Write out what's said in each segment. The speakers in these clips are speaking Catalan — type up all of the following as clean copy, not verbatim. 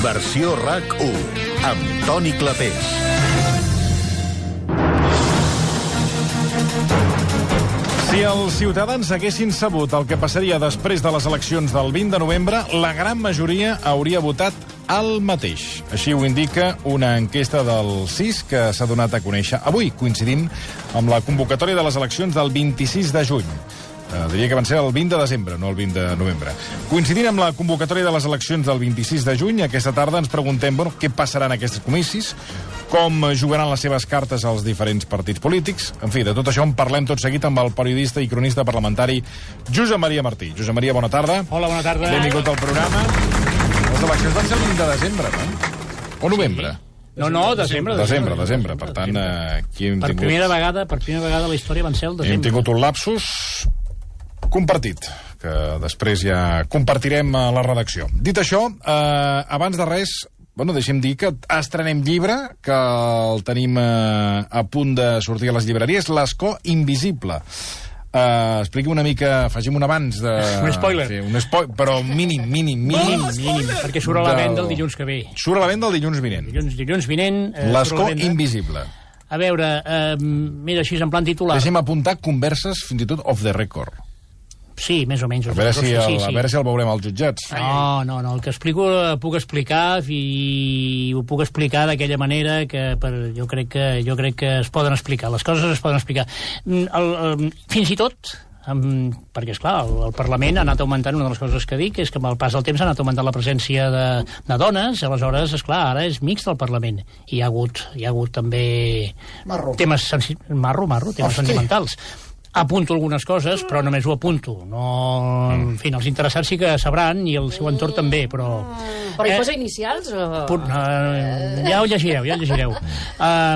Versió RAC1, amb Toni Clapés. Si els ciutadans haguessin sabut el que passaria després de les eleccions del 20 de novembre, la gran majoria hauria votat el mateix. Així ho indica una enquesta del CIS que s'ha donat a conèixer avui, coincidint amb la convocatòria de les eleccions del 26 de juny. Diria que van ser el 20 de desembre, no el 20 de novembre. Coincidint amb la convocatòria de les eleccions del 26 de juny, aquesta tarda ens preguntem què passarà en aquests comicis, com jugaran les seves cartes als diferents partits polítics. En fi, de tot això en parlem tot seguit amb el periodista i cronista parlamentari Josep Maria Martí. Josep Maria, bona tarda. Hola, bona tarda. Benvingut al programa. Les eleccions van ser el 20 de desembre, no? O novembre? No, desembre. Desembre. Per tant, aquí hem tingut... Per primera vegada a la història van ser el desembre. Hem tingut un lapsus compartit, que després ja compartirem a la redacció. Dit això, abans de res, deixem dir que estrenem llibre, que el tenim a punt de sortir a les llibreries, L'escó invisible. Expliqui una mica, facin un abans de... Un spoiler. Sí, però mínim. Perquè surt a la venda el dilluns que ve. Surt a la venda el dilluns vinent. Dilluns vinent... L'escó invisible. A veure, mira, així en plan titular. Deixem apuntar converses, fins i tot off the record. Sí, més o menys. A veure si el veurem als jutjats. No, el que explico puc explicar i ho puc explicar d'aquella manera que jo crec que es poden explicar. Les coses es poden explicar. Fins i tot, perquè, esclar, el Parlament ha anat augmentant, una de les coses que dic és que amb el pas del temps ha anat augmentant la presència de dones, aleshores, esclar, ara és mixt el Parlament. I hi ha hagut també temes sentimentals. Apunto algunes coses, però només ho apunto. En fi, els interessats sí que sabran, i el seu entorn també, però... Però hi posa inicials? Ja ho llegireu.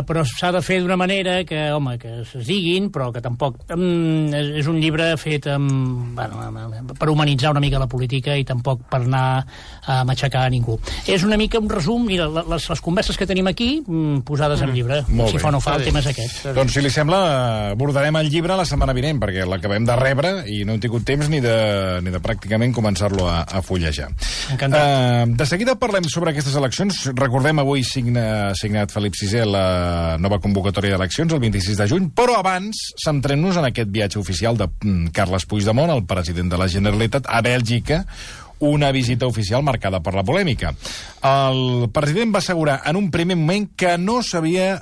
Però s'ha de fer d'una manera que, home, que es diguin, però que tampoc... És un llibre fet per humanitzar una mica la política i tampoc per anar a matxacar a ningú. És una mica un resum, mira, les converses que tenim aquí, posades en llibre. Si fa o no fa, el tema és aquest. Doncs, si li sembla, abordarem el llibre la setmana vinent, perquè l'acabem de rebre i no hem tingut temps ni de pràcticament començar-lo a fullejar. De seguida parlem sobre aquestes eleccions. Recordem, avui signat Felip VI la nova convocatòria d'eleccions, el 26 de juny, però abans centrem-nos en aquest viatge oficial de Carles Puigdemont, el president de la Generalitat, a Bèlgica, una visita oficial marcada per la polèmica. El president va assegurar en un primer moment que no s'havia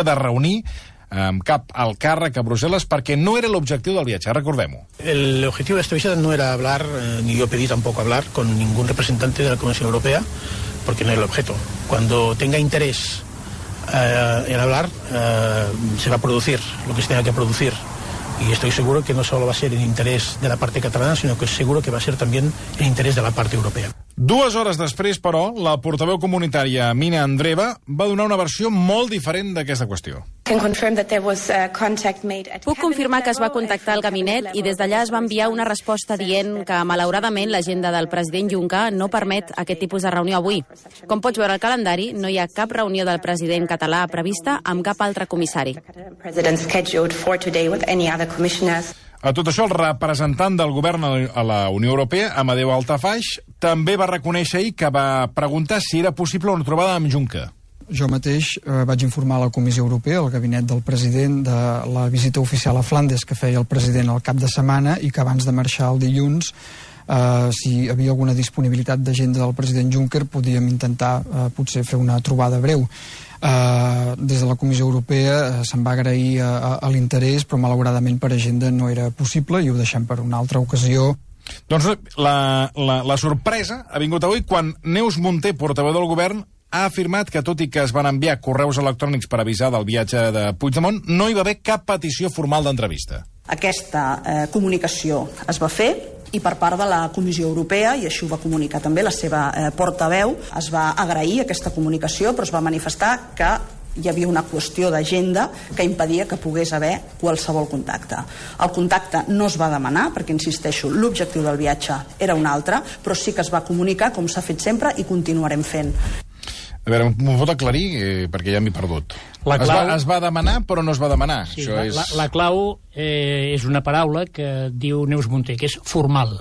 de reunir amb cap al càrrec a Brussel·les perquè no era l'objectiu del viatge, recordem-ho. El objetivo de esta visita no era hablar, ni yo pedí tampoco hablar con ningún representante de la Comisión Europea, porque no era el objeto. Cuando tenga interés en hablar, se va a producir lo que se tenga que producir. Y estoy seguro que no solo va a ser en interés de la parte catalana, sino que seguro que va a ser también en interés de la parte europea. 2 hores després, però, la portaveu comunitària Mina Andreva va donar una versió molt diferent d'aquesta qüestió. Puc confirmar que es va contactar al gabinet i des d'allà es va enviar una resposta dient que, malauradament, l'agenda del president Juncker no permet aquest tipus de reunió avui. Com pots veure al calendari, no hi ha cap reunió del president català prevista amb cap altre comissari. A tot això, el representant del govern a la Unió Europea, Amadeu Altafix, també va reconèixer ahir que va preguntar si era possible una trobada amb Juncker. Jo mateix vaig informar a la Comissió Europea, al gabinet del president, de la visita oficial a Flandes que feia el president al cap de setmana i que abans de marxar el dilluns, si hi havia alguna disponibilitat d'agenda del president Juncker, podíem intentar potser fer una trobada breu. Des de la Comissió Europea se'n va agrair a l'interès, però malauradament per agenda no era possible i ho deixem per una altra ocasió. Doncs la sorpresa ha vingut avui quan Neus Munté, portaveu del govern, ha afirmat que, tot i que es van enviar correus electrònics per avisar del viatge de Puigdemont, no hi va haver cap petició formal d'entrevista. Aquesta comunicació es va fer i per part de la Comissió Europea, i així ho va comunicar també la seva portaveu, es va agrair aquesta comunicació, però es va manifestar que hi havia una qüestió d'agenda que impedia que pogués haver qualsevol contacte. El contacte no es va demanar, perquè, insisteixo, l'objectiu del viatge era un altre, però sí que es va comunicar, com s'ha fet sempre, i continuarem fent. A veure, m'ho pot aclarir? Perquè ja m'he perdut. Es va demanar, però no es va demanar. Sí, la clau és una paraula que diu Neus Munté, que és formal.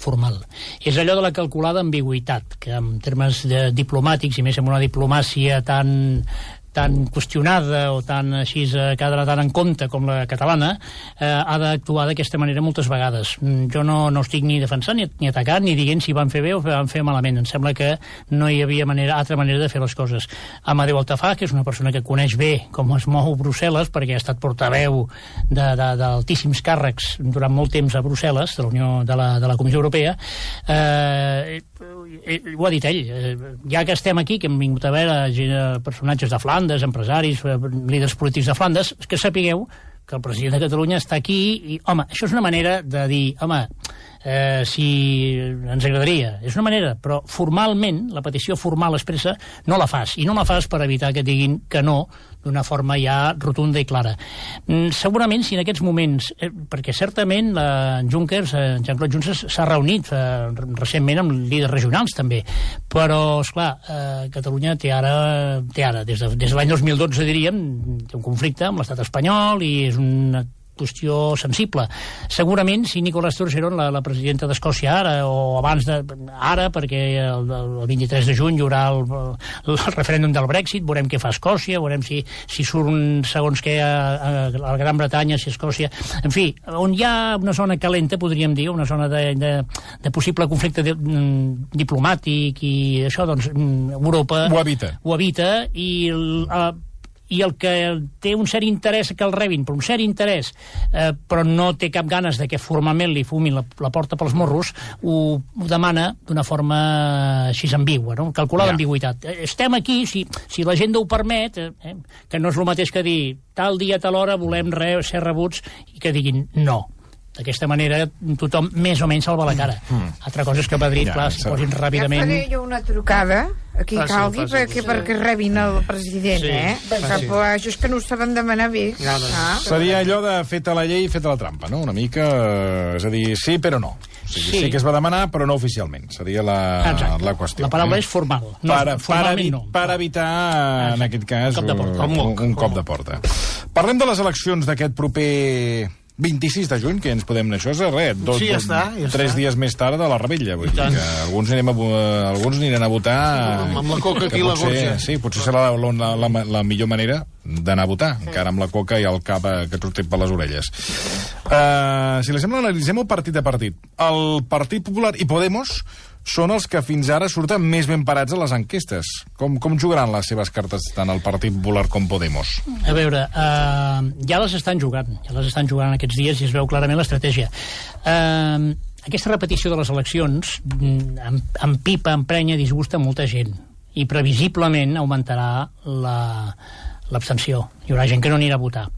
formal. És allò de la calculada ambigüitat, que en termes diplomàtics, i més en una diplomàcia tan qüestionada o tan així que ha d'anar tan en compte com la catalana, ha d'actuar d'aquesta manera moltes vegades. Jo no estic ni defensant ni atacant ni dient si van fer bé o van fer malament. Em sembla que no hi havia altra manera de fer les coses. Amadeu Altafaj, que és una persona que coneix bé com es mou Brussel·les, perquè ha estat portaveu d'altíssims càrrecs durant molt temps a Brussel·les, de la Comissió Europea, ho ha dit ell. Ja que estem aquí, que hem vingut a veure personatges de Flandes, empresaris, líders polítics de Flandes, que sapigueu que el president de Catalunya està aquí i, home, això és una manera de dir, home, si ens agradaria, és una manera, però formalment, la petició formal expressa, no la fas, i no la fas per evitar que diguin que no, d'una forma ja rotunda i clara. Segurament, si en aquests moments, perquè certament Jean-Claude Juncker s'ha reunit recentment amb líders regionals també, però, esclar, Catalunya té ara, des de l'any 2012, diríem, té un conflicte amb l'estat espanyol i és una qüestió sensible. Segurament, si Nicola Sturgeon, la presidenta d'Escòcia ara, o abans ara, perquè el 23 de juny hi haurà el referèndum del Brexit, veurem què fa Escòcia, veurem si surt segons què a la Gran Bretanya, si Escòcia... En fi, on hi ha una zona calenta, podríem dir, una zona de possible conflicte diplomàtic i això, doncs, Europa... Ho evita, i el que té un cert interès que el rebin, per un cert interès, però no té cap ganes de que formalment li fumin la porta pels morros, ho demana d'una forma així ambigua, no? Calculada ambigüitat. Estem aquí, si l'agenda ho permet, que no és el mateix que dir tal dia, tal hora, volem ser rebuts, i que diguin no. D'aquesta manera tothom més o menys salva la cara. Altra cosa és que a Madrid, clar, s'hi posin ràpidament... Ja faré jo una trucada aquí calgui perquè rebin el president, això és que no ho saben demanar bé. Seria allò de feta la llei i feta la trampa, no? Una mica, és a dir, sí però no. Sí que es va demanar, però no oficialment. Seria la qüestió. La paraula és formal. Per evitar, en aquest cas, un cop de porta. Parlem de les eleccions d'aquest proper 26 de juny, que ens podem anar, això és res, 3 dies més tard de la Rebella, vull dir que alguns aniran a votar amb la coca aquí a la gorja. Sí, potser serà la millor manera d'anar a votar, encara amb la coca i el cap que et sortit per les orelles. Si li sembla, analitzem el partit a partit. El Partit Popular i Podemos són els que fins ara surten més ben parats a les enquestes. Com jugaran les seves cartes tant el Partit Popular com Podemos? A veure, ja les estan jugant aquests dies i es veu clarament l'estratègia. Aquesta repetició de les eleccions empipa, emprenya, disgusta molta gent i previsiblement augmentarà l'abstenció. Hi haurà gent que no anirà a votar.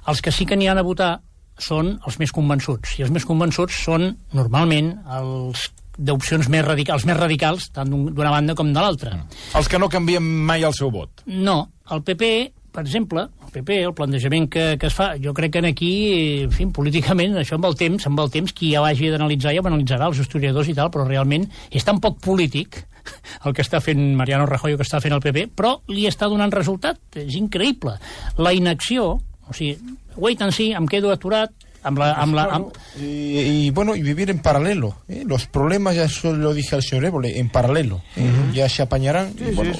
Els que sí que aniran a votar són els més convençuts, i els més convençuts són normalment els d'opcions més radicals, tant d'una banda com de l'altra. Els que no canvien mai el seu vot. No, el PP, per exemple, el plantejament que es fa, jo crec que aquí, en fi, políticament, això amb el temps, qui ja hagi d'analitzar ja ho analitzarà, els historiadors i tal, però realment és tan poc polític el que està fent Mariano Rajoy o que està fent el PP, però li està donant resultat, és increïble. La inacció, o sigui, wait and see, em quedo aturat, y vivir en paralelo, los problemas, ya eso lo dije al señor Évole, en paralelo, ya se apañarán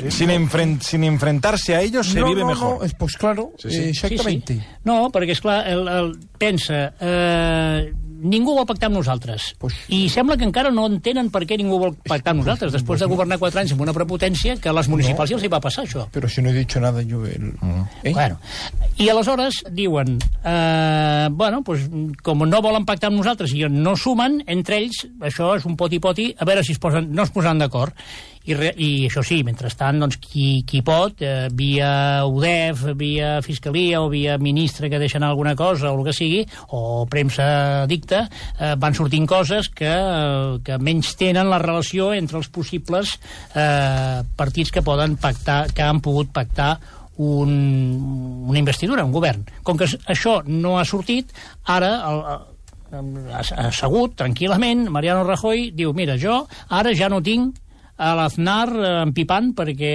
sin enfrentarse a ellos se vive mejor. Pues claro, exactamente. Sí. No, perquè esclar, pensa, ningú vol pactar amb nosaltres, i sembla que encara no entenen per què ningú vol pactar amb nosaltres després de governar 4 anys amb una prepotència que a les municipals ja els hi va passar això. Però si no he dit nada jo... Bueno, i aleshores diuen pues, com no volen pactar amb nosaltres i no sumen, entre ells això és un poti-poti, a veure si no es posaran d'acord. I això sí, mentrestant, doncs, qui pot, via UDEF, via Fiscalia o via ministre que deixen alguna cosa o el que sigui, o premsa dicta, van sortint coses que menys tenen la relació entre els possibles partits que poden pactar, que han pogut pactar una investidura, un govern. Com que això no ha sortit, ara assegut, tranquil·lament, Mariano Rajoy diu, mira, jo ara ja no tinc a l'Aznar empipant perquè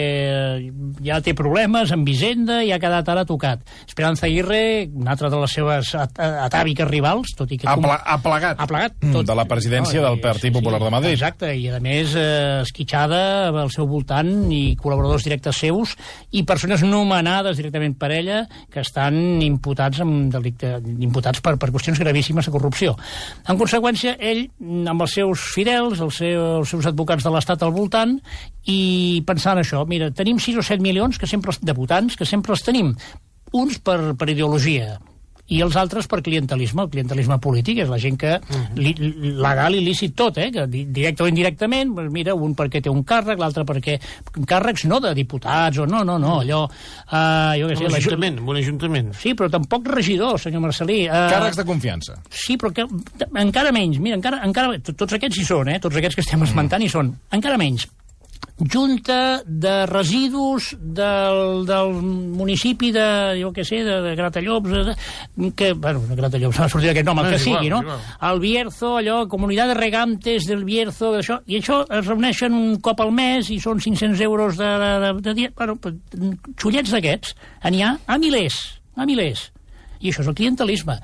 ja té problemes amb Hisenda i ha quedat ara tocat. Esperanza Aguirre, una altra de les seves atàviques rivals, tot i que... Ha plegat tot. De la presidència del Partit Popular de Madrid. Exacte, i a més esquitxada al seu voltant i col·laboradors directes seus i persones nomenades directament per ella que estan imputats per qüestions gravíssimes de corrupció. En conseqüència, ell, amb els seus fidels, els seus advocats de l'Estat al voltant, i pensant això, mira, tenim 6 o 7 milions de votants que sempre els tenim, uns per ideologia i els altres per clientelisme. El clientelisme polític és la gent que legal i lícit tot, que directe o indirectament, mira, un perquè té un càrrec, l'altre perquè càrrecs no de diputats o no, allò jo què sé, un ajuntament. Sí, però tampoc regidor, senyor Marcelí. Càrrecs de confiança. Sí, però que encara menys, mira, encara tots aquests hi són, tots aquests que estem esmentant hi són, encara menys. Junta de residus del municipi de, jo què sé, de Gratallops, que, bueno, Gratallops, ha sortit aquest nom, el que sigui, no? El Bierzo, allò, Comunitat de Regantes del Bierzo, això, i això es reuneixen un cop al mes i són 500 euros de dia. Bueno, xullets d'aquests, n'hi ha a milers. I això és el clientelisme.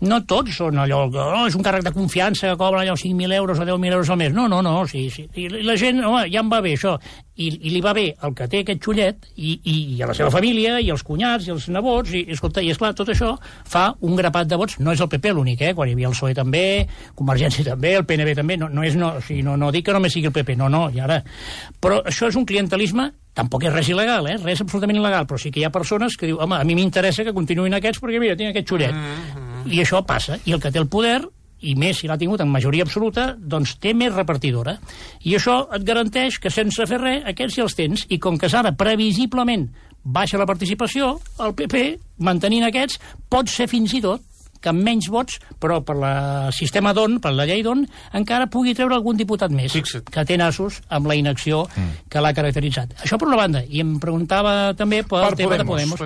No tots són allò, és un càrrec de confiança que cobra allò 5.000 euros o 10.000 euros al mes. No, sí. I la gent, home, ja em va bé això. I li va bé el que té aquest xullet i a la seva família, i els cunyats, i els nebots, i escolta, i esclar, tot això fa un grapat de vots. No és el PP l'únic, quan hi havia el PSOE també, Convergència també, el PNB també, no dic que només sigui el PP, no, i ara. Però això és un clientelisme. Tampoc és res il·legal, res absolutament il·legal, però sí que hi ha persones que diuen, home, a mi m'interessa que continuïn aquests perquè, mira, tinc aquest xullet. I això passa. I el que té el poder, i més si l'ha tingut en majoria absoluta, doncs té més repartidora. I això et garanteix que sense fer res, aquests ja els tens. I com que ara previsiblement baixa la participació, el PP, mantenint aquests, pot ser fins i tot que amb menys vots, però per el sistema d'ON, per la llei d'ON, encara pugui treure algun diputat més, que té nassos amb la inacció que l'ha caracteritzat. Això per una banda. I em preguntava també pel tema de Podemos.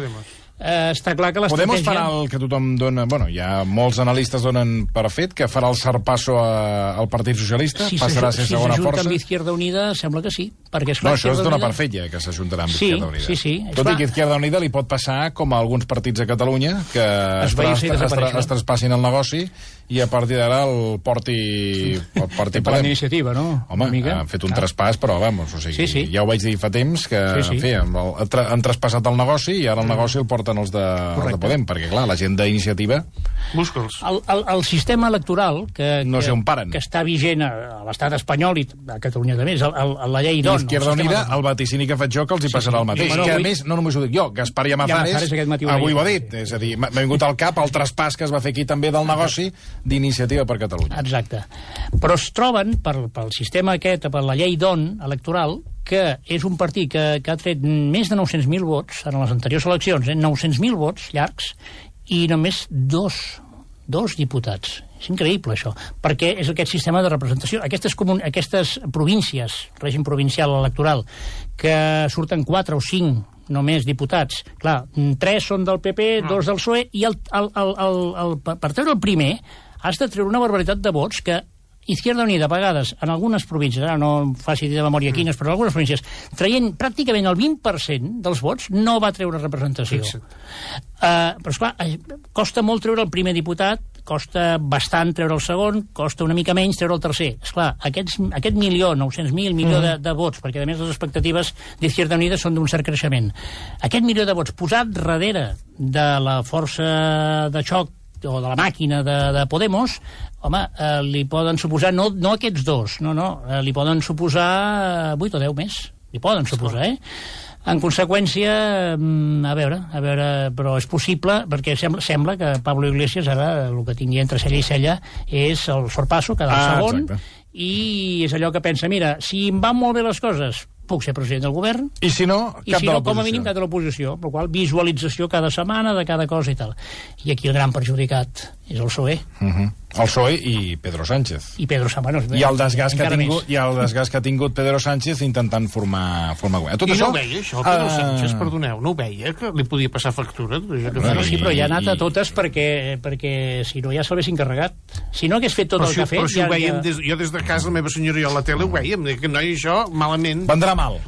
Està clar que l'estratègia... Podemos farà el que tothom dona... Bueno, hi ha molts analistes donen per fet que farà el zarpasso al Partit Socialista? Passarà a ser segona força? Si s'ajunta amb Izquierda Unida, sembla que sí. Perquè, esclar, no, això es dona per fet ja, que s'ajuntarà amb Izquierda Unida. Sí. Tot i que Izquierda Unida li pot passar com a alguns partits a Catalunya, que es traspassin el negoci i a partir d'ara el porti per la iniciativa, no? Home, han fet un traspàs, però vamos, o sigui, ja ho vaig dir fa temps, que en fi, han traspassat el negoci i ara el negoci el porten els de Podem, perquè clar, la gent d'iniciativa... Busca'ls. El sistema electoral que està vigent a l'estat espanyol i a Catalunya també, és la llei d'ON. Izquierda Unida, el vaticini que faig jo, que els hi passarà el mateix. Que a més, no només ho dic jo, Gaspar Llamazares avui ho ha dit. És a dir, m'ha vingut al cap el traspàs que es va fer aquí també del negoci d'Iniciativa per Catalunya. Exacte. Però es troben, pel sistema aquest, per la llei d'ON electoral, que és un partit que ha tret més de 900.000 vots en les anteriors eleccions, 900.000 vots llargs, i només dos diputats. És increïble, això, perquè és aquest sistema de representació. Aquestes províncies, règim provincial electoral, que surten 4 o 5 només diputats. Clar, 3 són del PP, 2 del PSOE, i per treure el primer has de treure una barbaritat de vots que Izquierda Unida, a vegades, en algunes províncies, ara no faci de memòria quines, però en algunes províncies, traient pràcticament el 20% dels vots, no va treure representació. Però, esclar, costa molt treure el primer diputat, costa bastant treure el segon, costa una mica menys treure el tercer. Esclar, aquest 900.000 de vots, perquè a més les expectatives d'Izquierda Unida són d'un cert creixement. Aquest milió de vots posat darrere de la força de xoc o de la màquina de Podemos, home, li poden suposar, no aquests dos, li poden suposar 8 o 10 més. Li poden suposar, En conseqüència, a veure, però és possible, perquè sembla que Pablo Iglesias ara el que tingui entre cella i cella és el sorpasso, quedar el segon, i és allò que pensa, mira, si em van molt bé les coses, puc ser president del govern, i si no, com a mínim cap de l'oposició, per la qual visualització cada setmana de cada cosa i tal. I aquí el gran perjudicat és el PSOE. El PSOE i Pedro Sánchez. I Pedro Sánchez. I el desgast que ha tingut Pedro Sánchez intentant formar govern. I no ho veia, això, Pedro Sánchez, perdoneu, no ho veia, que li podia passar factura? Sí, però ja ha anat a totes perquè si no ja se l'haguessin carregat. Si no hagués fet tot el que ha fet... Però si ho veiem, jo des de casa, la meva senyora i a la tele ho veiem, que noi, això, malament... Vendrà mal.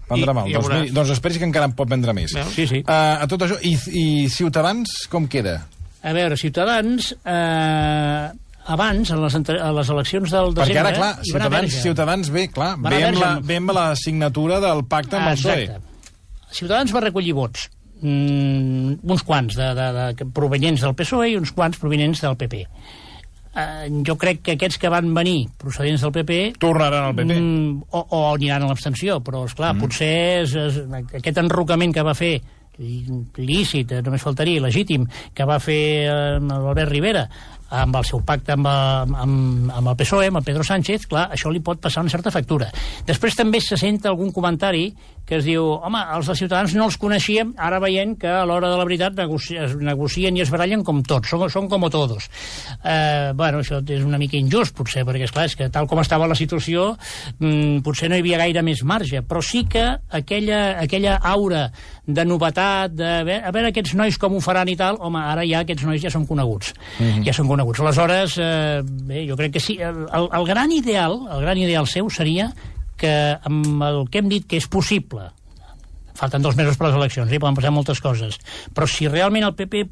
Doncs esperis que encara en pot vendre més. Sí. A tot això, i Ciutadans com queda? A veure, Ciutadans, abans, a les eleccions del desembre... Perquè ara, clar, Ciutadans ve amb la signatura del pacte amb el PSOE. Exacte. Ciutadans va recollir vots, uns quants provenients del PSOE i uns quants provenients del PP. Jo crec que aquests que van venir procedents del PP... tornaran al PP. O aniran a l'abstenció, però, esclar, potser aquest enrocament que va fer lícit, només faltaria, legítim, que va fer l'Albert Rivera amb el seu pacte amb el PSOE, amb el Pedro Sánchez, clar, això li pot passar una certa factura. Després també se sent algun comentari que es diu, home, els de Ciutadans no els coneixíem, ara veient que a l'hora de la veritat es negocien i es barallen com tots, són com todos. Bueno, això és una mica injust, potser, perquè, esclar, és que tal com estava la situació, potser no hi havia gaire més marge, però sí que aquella aura de novetat, a veure aquests nois com ho faran i tal, home, ara ja aquests nois ja són coneguts. Ja són coneguts. Aleshores, bé, jo crec que sí. El gran ideal seu seria que amb el que hem dit que és possible, falten 2 mesos per les eleccions, poden passar moltes coses, però si realment el PP,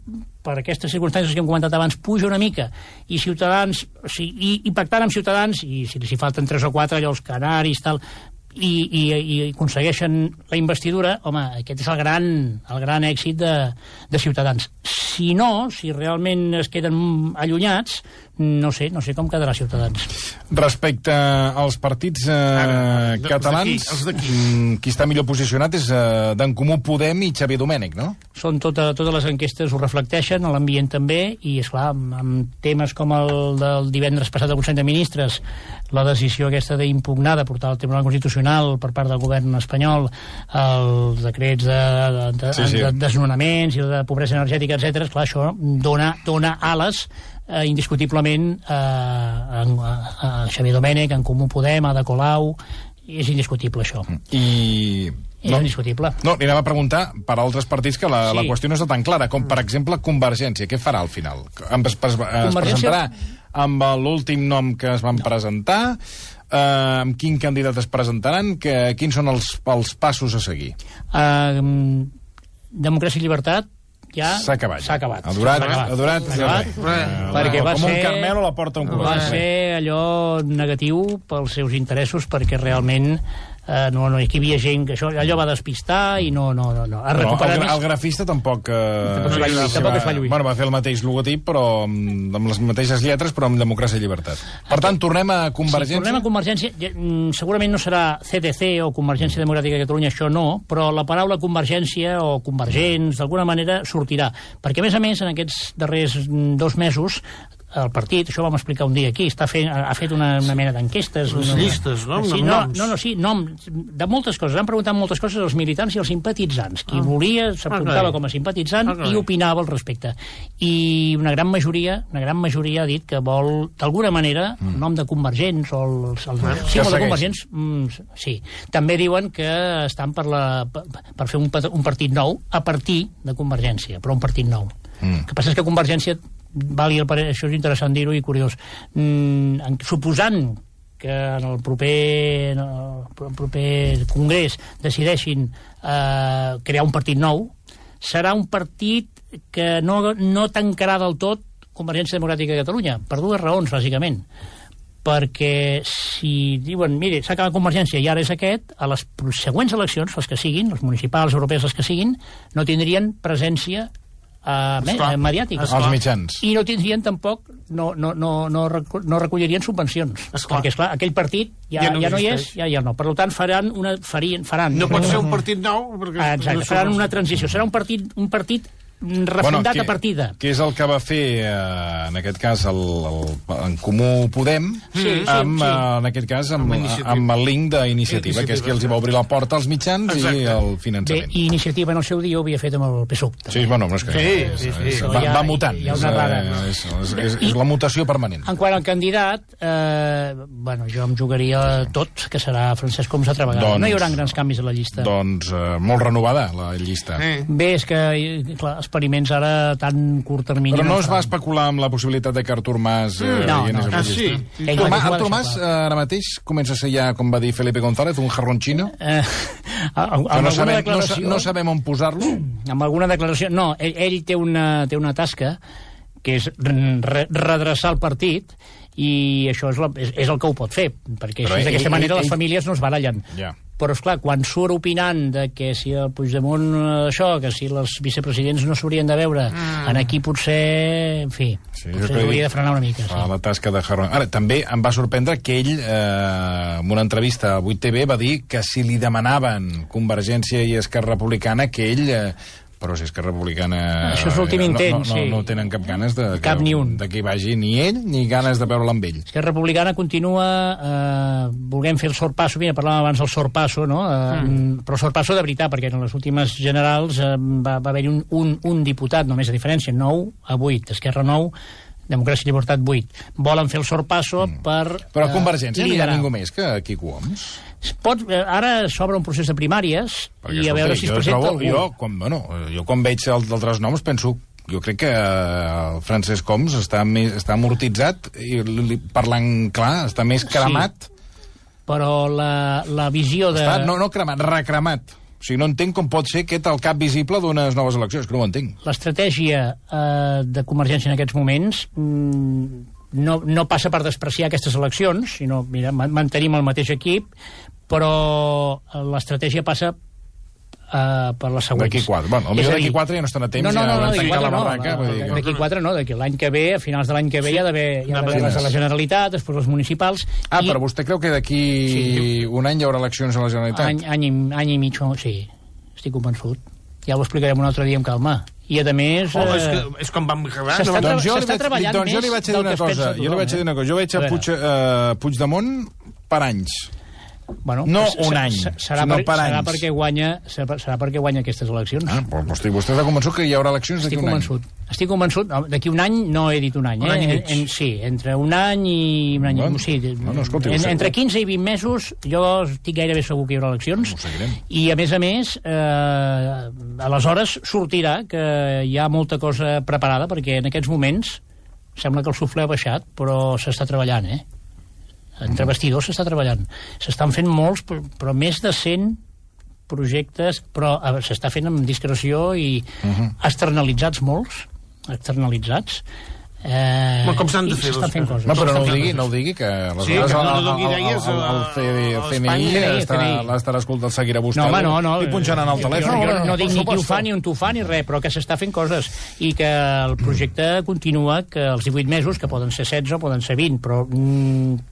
per aquestes circumstàncies que hem comentat abans, puja una mica, i Ciutadans, i pactant amb Ciutadans, i si falten 3 o 4, allò, els canaris, tal, i aconsegueixen la investidura, home, aquest és el gran èxit de Ciutadans. Si no, si realment es queden allunyats, no sé com quedarà Ciutadans. Respecte als partits catalans, qui està millor posicionat és d'en Comú Podem i Xavier Domènech, no? Són totes les enquestes ho reflecteixen, l'ambient també, i esclar, amb temes com el del divendres passat del Consell de Ministres, la decisió aquesta d'impugnar, de portar al Tribunal Constitucional per part del govern espanyol els decrets de desnonaments i de pobresa energètica, etc. Esclar, això dona ales indiscutiblement a Xavier Domènech, en Comú Podem, a Ada Colau, és indiscutible això. És indiscutible. No, li anava a preguntar per altres partits que la qüestió no està tan clara, com per exemple Convergència. Què farà al final? Es presentarà amb l'últim nom que es van presentar? Amb quin candidat es presentaran? Quins són els passos a seguir? Democràcia i Llibertat ja s'ha acabat. Ha durat perquè va com ser, un Carmel a la porta d'un va ser allò negatiu pels seus interessos, perquè realment no, aquí hi havia gent que allò va despistar i no. El grafista tampoc es va lluir. Bueno, va fer el mateix logotip, però amb les mateixes lletres, però amb Democràcia i Llibertat. Per tant, tornem a Convergència? Sí, tornem a Convergència. Segurament no serà CDC o Convergència Democràtica de Catalunya, això no, però la paraula Convergència o Convergents, d'alguna manera, sortirà. Perquè, a més, en aquests darrers 2 mesos, el partit, això ho vam explicar un dia aquí, ha fet una mena d'enquestes. Llistes, no? Sí, noms de moltes coses. Han preguntat moltes coses als militants i als simpatitzants. Qui volia s'apuntava com a simpatitzant i opinava al respecte. I una gran majoria ha dit que vol, d'alguna manera, el nom de Convergents o el símbol de Convergents, sí. També diuen que estan per fer un partit nou a partir de Convergència, però un partit nou. El que passa és que Convergència, això és interessant dir-ho i curiós, suposant que en el proper congrés decideixin crear un partit nou, serà un partit que no tancarà del tot Convergència Democràtica de Catalunya, per 2 raons, bàsicament. Perquè si diuen, mire, s'ha acabat Convergència i ara és aquest, a les següents eleccions, les que siguin, les municipals, europees, les que siguin, no tindrien presència mediàtica. Els mitjans. I no tindrien tampoc, no recollirien subvencions. Perquè, esclar, aquell partit ja no hi és, ja no. Per tant, faran. No pot ser un partit nou. Exacte, faran una transició. Serà un partit refundat a partida. Que és el que va fer, en aquest cas, en Comú Podem, en aquest cas, amb el link d'iniciativa, que és que els va obrir la porta als mitjans i el finançament. Bé, i Iniciativa en el seu dia ho havia fet amb el PSUV. Sí, bueno, és que va mutant. És la mutació permanent. En quant al candidat, jo em jugaria tot, que serà Francesc Homs altra vegada. No hi haurà grans canvis a la llista. Doncs molt renovada, la llista. Bé, és que, clar, experiments ara tan curt termini... Però no es va especular amb la possibilitat de que Artur Mas anés a la llista? Artur Mas ara mateix comença a ser ja, com va dir Felipe González, un jarronchino? No sabem on posar-lo? Amb alguna declaració... No, ell té una tasca que és redreçar el partit, i això és el que ho pot fer, perquè d'aquesta manera les famílies no es barallen. Però, esclar, quan surt opinant de que si el Puigdemont això, que si els vicepresidents no s'haurien de veure, aquí potser, en fi, potser hauria de frenar una mica. La tasca de Jarron. Ara, també em va sorprendre que ell, en una entrevista a 8TV, va dir que si li demanaven Convergència i Esquerra Republicana, que ell... Però si Esquerra Republicana... Això és l'últim intent, sí. No tenen cap ganes de que hi vagi ni ell, ni ganes de veure'l amb ell. Esquerra Republicana continua volent fer el sorpasso. Mira, parlàvem abans del sorpasso, no? Però el sorpasso de veritat, perquè en les últimes generals va haver-hi un diputat, només a diferència, 9 a 8. Esquerra 9, Democràcia i Llibertat 8. Volen fer el sorpasso per Però a Convergència no hi ha ningú més que Quico Homs. Ara s'obre un procés de primàries i a veure si es presenta algú. Jo quan veig altres noms penso, jo crec que Francesc Homs està amortitzat i parlant clar, està més cremat. Però la visió de... No cremat, recremat. O sigui, no entenc com pot ser aquest el cap visible d'unes noves eleccions, que no ho entenc. L'estratègia de Convergència en aquests moments no passa per despreciar aquestes eleccions, sinó, mira, mantenim el mateix equip, però l'estratègia passa per les següents. D'aquí 4. Bueno, d'aquí 4 ja no estan a temps, ja hauran tancat la barraca. D'aquí 4 no, d'aquí l'any que ve, a finals de l'any que ve, hi ha d'haver les de la Generalitat, després les municipals... Però vostè creu que d'aquí un any hi haurà eleccions a la Generalitat? Any i mig, sí, estic convençut. Ja ho explicarem un altre dia amb calma. I, a més... És com vam acabar. S'està treballant més del que es pensa tothom. Jo li vaig dir una cosa. Jo veig a Puigdemont per anys. Bueno, no un any, sinó per anys. Serà perquè guanya aquestes eleccions. Vostè està convençut que hi haurà eleccions d'aquí un any? Estic convençut. D'aquí un any no he dit un any. Un any i mig. Sí, entre un any i un any i mig. Sí, entre 15 i 20 mesos jo estic gairebé segur que hi haurà eleccions. I, a més, aleshores sortirà que hi ha molta cosa preparada, perquè en aquests moments sembla que el suflé ha baixat, però s'està treballant, entre bastidors s'està treballant. S'estan fent molts, però més de 100 projectes, però s'està fent amb discreció i externalitzats molts, com s'han de fer les coses? No, però no ho digui, que aleshores el CNI l'estarà escoltant, seguirà vostè. No. I punxaran el telèfon. No dic ni qui ho fa ni on t'ho fa ni res, però que s'està fent coses i que el projecte continua, que els 18 mesos, que poden ser 16 o poden ser 20, però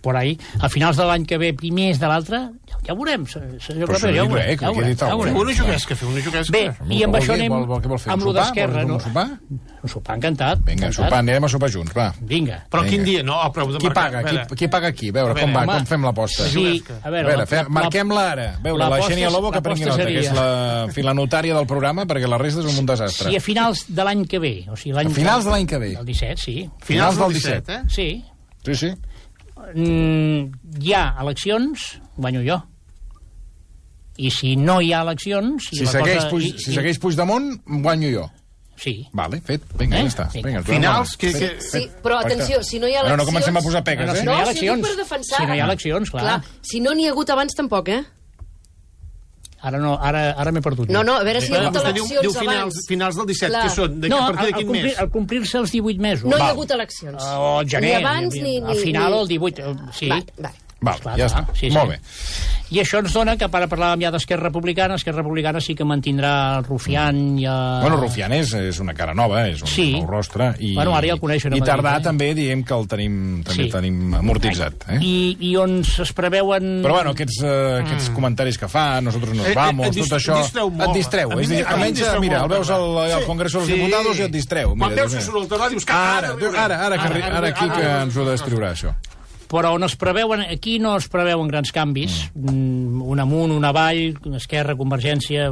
por ahí, a finals de l'any que ve, primers de l'altre, ja ho veurem. Fer una juguesca. Bé, i amb això anem amb lo d'Esquerra. Un sopar encantat. Vinga, sopar, anirem a sopar junts, va. Vinga. Però quin dia? No, Qui paga qui? A veure, com fem l'aposta? A veure, marquem-la ara. A veure, la Xènia Lobo que prengui nota, que és la filanotària del programa, perquè la resta és un desastre. Sí, a finals de l'any que ve. A finals de l'any que ve? El 17, sí. Finals del 17, Sí. Sí. Hi ha eleccions, guanyo jo. I si no hi ha eleccions... Si segueix Puigdemont, guanyo jo. Sí. Vale, fet. Vinga, ja està. Finals... Sí, però atenció, si no hi ha eleccions... No comencem a posar pegues, Si no hi ha eleccions, clar. Si no n'hi ha hagut abans, tampoc, Ara m'he perdut. No, a veure si hi ha hagut eleccions abans. Finals del 17, que són? No, al complir-se els 18 mesos. No hi ha hagut eleccions. O gener. Ni abans ni... Al final, el 18, sí. Val, ja està. Molt bé. I això ens dona que, ara parlàvem ja d'Esquerra Republicana, Esquerra Republicana sí que mantindrà el Rufián i... Bueno, Rufián és una cara nova, és un nou rostre, i ara ja el coneixen a Madrid. I Tardà també diem que el tenim amortitzat. I on es preveuen... Però bueno, aquests comentaris que fa, nosaltres nos vamos, tot això... Et distreu. Almenys, mira, el veus al Congreso dels Diputados i et distreu. Quan veus que surt el Tardà dius que... Ara aquí que ens ho destriurà, això. Però on es preveuen, aquí no es preveuen grans canvis, un amunt, un avall, Esquerra, Convergència,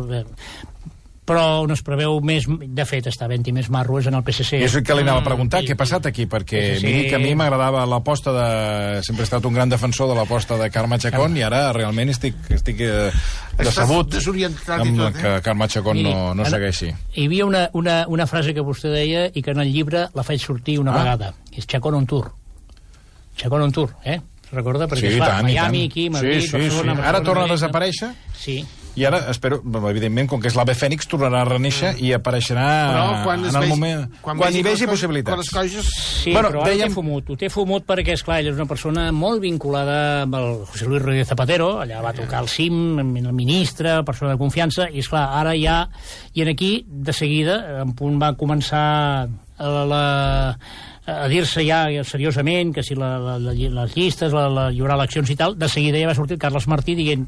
però on es preveu més, de fet, està havent-hi més marro és en el PSC. És el que li anava a preguntar, què ha passat aquí? Perquè miri que a mi m'agradava l'aposta de... Sempre he estat un gran defensor de l'aposta de Carme Chacón i ara realment estic decebut amb que Carme Chacón no segueixi. Hi havia una frase que vostè deia i que en el llibre la faig sortir una vegada, que és Chacón on tour. Chacón on tour, recorda? Perquè es fa Miami, aquí, Madrid, Barcelona... Ara torna a desaparèixer? Sí. I ara, espero, evidentment, com que és l'Ave Fènix, tornarà a renéixer i apareixerà en el moment... Quan hi vegi possibilitats. Sí, però ara ho té fumut perquè, esclar, ell és una persona molt vinculada amb el José Luis Rodríguez Zapatero, allà va tocar el CIM, el ministre, persona de confiança, i, esclar, ara ja... I aquí, de seguida, en punt va començar a dir-se ja seriosament que si les llistes, hi haurà eleccions i tal, de seguida ja va sortir Carles Martí dient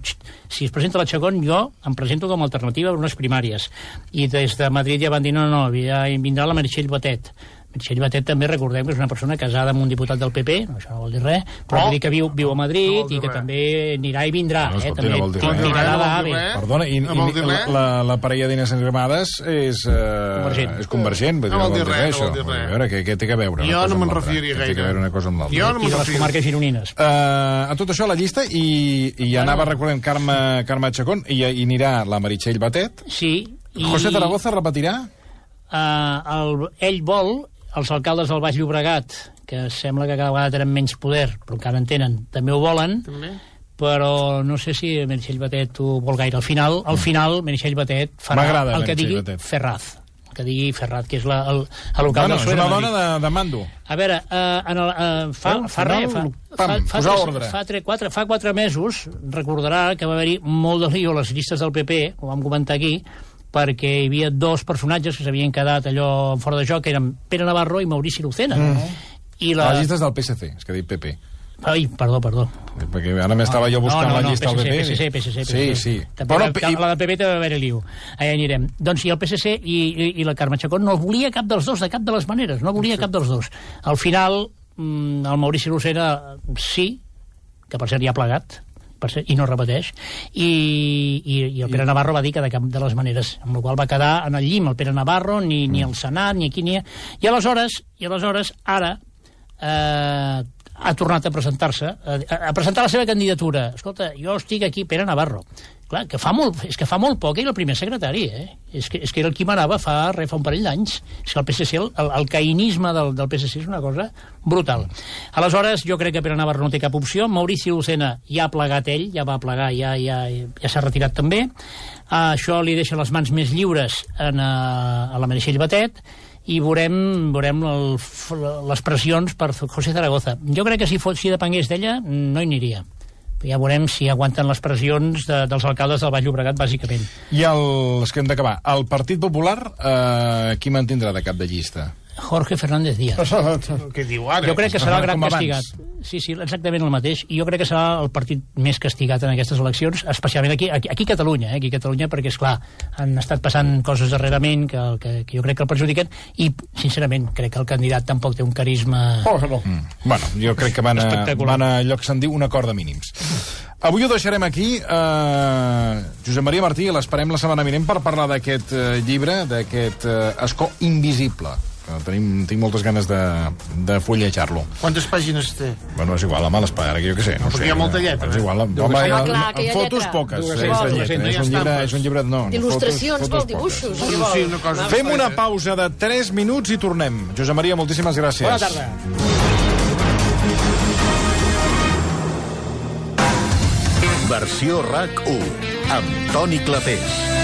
si es presenta la Chacón jo em presento com a alternativa per unes primàries. I des de Madrid ja van dir no, ja vindrà la Meritxell Batet. Meritxell Batet també recordem que és una persona casada amb un diputat del PP, això no vol dir res, però vol dir que viu a Madrid i que també anirà i vindrà. També tirarà d'AVE. Perdona, i la parella d'Inés Arrimadas és convergent. No vol dir res, no vol dir res. A veure, què té a veure? Jo no me'n refiaria gaire. Té a veure una cosa amb l'altra. I de les comarques gironines. A tot això, la llista, i anava recordant Carme Chacón, i anirà la Meritxell Batet. Sí. José Zaragoza repetirà? Ell vol els alcaldes del Baix Llobregat, que sembla que cada vegada tenen menys poder, però encara en tenen, també ho volen, però no sé si Meritxell Batet ho vol gaire. Al final Meritxell Batet farà el que digui Ferraz. El que digui Ferraz, que és l'alcalde del PSOE. És una dona de mando. A veure, fa 4 mesos, recordarà que va haver-hi molt de lío a les llistes del PP, ho vam comentar aquí, perquè hi havia 2 personatges que s'havien quedat allò fora de joc, que eren Pere Navarro i Maurici Lucena. A les llistes del PSC, és que ha dit PP. Ai, perdó. Perquè ara m'estava jo buscant la llista del PP. PSC. Sí. La del PP també va haver-hi liu. Allà anirem. Doncs i el PSC i la Carme Chacón no volia cap dels dos, de cap de les maneres, no volia cap dels dos. Al final, el Maurici Lucena sí, que per cert ja ha plegat, i no repeteix, i el Pere Navarro va dir que de cap de les maneres, amb la qual va quedar en el llim el Pere Navarro, ni al Senat, ni aquí, ni... I aleshores ara ha tornat a presentar-se, a presentar la seva candidatura. Escolta, jo estic aquí, Pere Navarro. Clar, és que fa molt poc era el primer secretari, És que era el qui manava fa un parell d'anys. És que el PSC, el caïnisme del PSC és una cosa brutal. Aleshores, jo crec que Pere Navarro no té cap opció. Maurici Lucena ja ha plegat ell, ja va plegar, ja s'ha retirat també. Això li deixa les mans més lliures a la Meritxell Batet, i veurem les pressions per José Zaragoza. Jo crec que si depengués d'ella no hi aniria. Ja veurem si aguanten les pressions dels alcaldes del Baix Llobregat, bàsicament. I els que hem d'acabar. El Partit Popular, qui mantindrà de cap de llista? Jorge Fernández Díaz. Què diu ara? Jo crec que serà el gran castigat. Sí, exactament el mateix. I jo crec que serà el partit més castigat en aquestes eleccions, especialment aquí a Catalunya, perquè, esclar, han estat passant coses darrerament que jo crec que el perjudiquen, i, sincerament, crec que el candidat tampoc té un carisma... Bueno, jo crec que van a allò que se'n diu un acord de mínims. Avui ho deixarem aquí. Josep Maria Martí, l'esperem la setmana vinent per parlar d'aquest llibre, d'aquest escó invisible. Tinc moltes ganes de fullejar-lo. Quantes pàgines té? Bueno, és igual, amb l'espera, que jo què sé. Perquè hi ha molta lletra. És igual, fotos poques. És un llibre... Il·lustracions, vol dibuixos. Fem una pausa de 3 minuts i tornem. Josep Maria, moltíssimes gràcies. Bona tarda. Versió RAC 1 amb Toni Clapés.